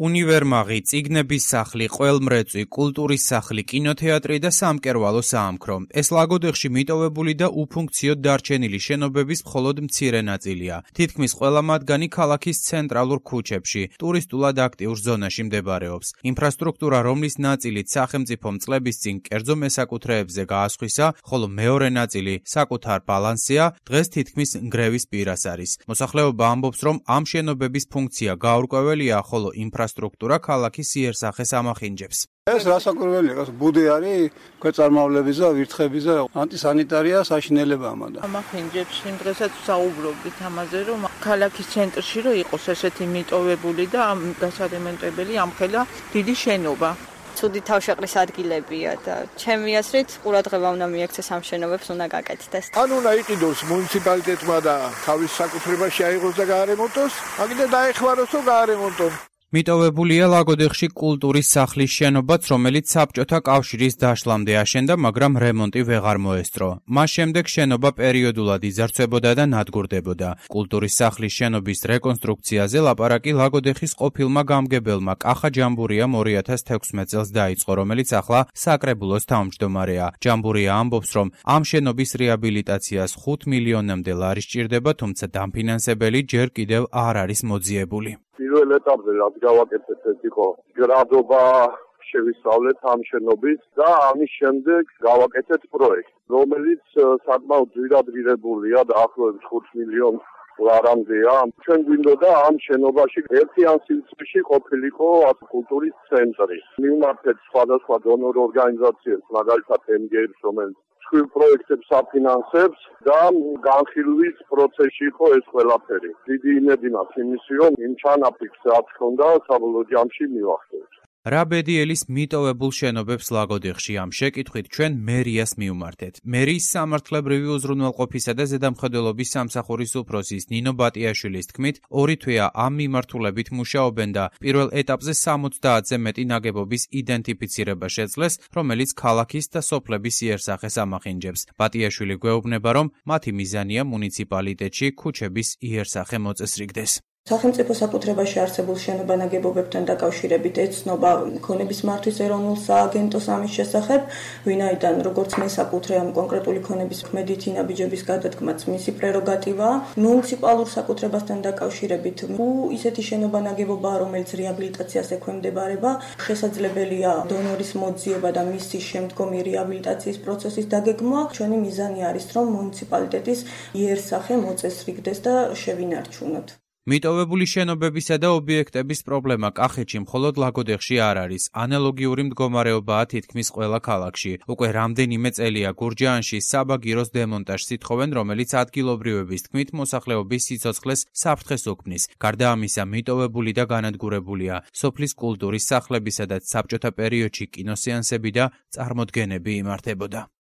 უნივერმაღი, წიგნების სახლი, ყველმრეწვი, კულტურის სახლი, კინოთეატრი და სამკერვალო საამქრო. ეს ლაგოდეხში მიტოვებული და უფუნქციოდ დარჩენილი შენობების მხოლოდ მცირე ნაწილია. თითქმის ყველა მათგანი ქალაქის ცენტრალურ ქუჩებში, ტურისტულად აქტიურ ზონაში მდებარეობს. ინფრასტრუქტურა, რომლის ნაწილით სახელმწიფომ წლების წინ კერძო მესაკუთრეებზე გაასხვისა, ხოლო მეორე ნაწილი საკუთარ ბალანსია, დღეს თითქმის ნგრევის პირას არის. მოსახლეობა ამბობს, რომ ამ შენობების ფუნქცია გაურკვეველია, ხოლო ინფრასტრუქტურა ქალაქის იერსახეს ამახინჯებს. ეს რასაკვირველია, ბუდი არის ქვეწარმავლების და ვირთხების და ანტისანიტარია საშინელებაა და ამახინჯებს იმ დღესაც საუბრობთ ამაზე, რომ ქალაქის ცენტრში რომ იყოს ესეთი მიტოვებული და გასარემონტებელი ამხელა დიდი შენობა. ცუდი თავშეყრის ადგილებია და ჩემი აზრით ყურადღება უნდა მიექცეს ამ შენობებს, უნდა გაკეთდეს. ან უნდა იყიდოს მუნიციპალიტეტმა და თავის საკუთრებაში აიღოს და გაარემონტოს, აგდა დაეხმაროს და გაარემონტოს. მიტოვებულია ლაგოდეხში კულტურის სახლის შენობაც, რომელიც საბჭოთა კავშირის დაშლამდე აშენდა, მაგრამ რემონტი ვეღარ მოესწრო. მას შემდეგ შენობა პერიოდულად იძარცვებოდა და ნადგურდებოდა. კულტურის სახლის შენობის რეკონსტრუქციაზე ლაპარაკი ლაგოდეხის ყოფილმა გამგებელმა კახა ჯამბურიამ 2016 წელს დაიწყო, რომელიც ახლა საკრებულოს თავმჯდომარეა. ჯამბურია ამბობს, რომ ამ შენობის რეაბილიტაციას 5 მილიონამდე ლარი სჭირდება, თუმცა დამფინანსებელი ჯერ კიდევ არ არის მოძიებული. პირველ ეტაპზე რაც გავაკეთეთ, ეს იყო გრადობა შევისწავლეთ ამ შენობის და ამის შემდეგ გავაკეთეთ პროექტი, რომელიც საკმაოდ ძვირადღირებულია და ახლოებით 5 მილიონ ლარამდეა. ჩვენ გვინდოდა ამ შენობაში ერთიან სივრცეში ყოფილიყო კულტურის ცენტრი. მივმართეთ სხვადასხვა დონორ ორგანიზაციებს, მაგალითად MGF, რომელიც პროექტებს აფინანსებს და განხილვის პროცესში იყო ეს ყველაფერი. დიდი იმედი მაქვს იმისი, რომ იმ ჩანაფიქრს რაც ჰქონდა საბოლოო ჯამში მივახდენთ. რა ბედიელის მიტოვებულ შენობებს ლაგოდეხში? ამ შეკითხვით ჩვენ მერიას მივმართეთ. მერიის სამართლებრივი უზრუნველყოფისა და ზედამხედველობის სამსახურის უფროსის ნინო ბატიაშვილის თქმით, 2 თვეა ამ მიმართულებით მუშაობენ და პირველ ეტაპზე 70-ზე მეტი ნაგებობის იდენტიფიცირება შეძლეს, რომელიც ქალაქის და სოფლების იერსახეს ამახინჯებს. ბატიაშვილი გვეუბნება, რომ მათი მიზანია მუნიციპალიტეტში ქუჩების იერსახე მოწესრიგდეს. სახელმწიფო საკუთრებაში არსებულ შენობანაგებობებთან დაკავშირებით ეცნობა ქონების მართვის ეროვნულ სააგენტოს ამის შესახებ, ვინაიდან როგორც მესაკუთრე ამ კონკრეტული ქონების ქმედითი ნაბიჯების გადადგმაც მისი პრეროგატივაა. მუნიციპალურ საკუთრებასთან დაკავშირებით ისეთი შენობანაგებობაა, რომელიც რეაბილიტაციას ექვემდებარება, შესაძლებელია დონორის მოძიება და მისი შემდგომი რეაბილიტაციის პროცესის დაგეგმვა. ჩვენი მიზანი არის, რომ მუნიციპალიტეტის იერსახე მოწესრიგდეს და შევინარჩუნოთ. მიტოვებული შენობებისა და ობიექტების პრობლემა კახეთში მხოლოდ ლაგოდეხში არ არის. ანალოგიური მდგომარეობაა თითქმის ყველა ქალაქში. უკვე რამდენიმე წელია გურჯაანში საბაგიროს დემონტაჟს ითხოვენ, რომელიც ადგილობრივების თქმით მოსახლეობის სიცოცხლეს საფრთხეს უქმნის. გარდა ამისა, მიტოვებული და განადგურებულია სოფლის კულტურის სახლებისა და საბჭოთა პერიოდში კინოსეანსები და წარმოდგენები იმართებოდა.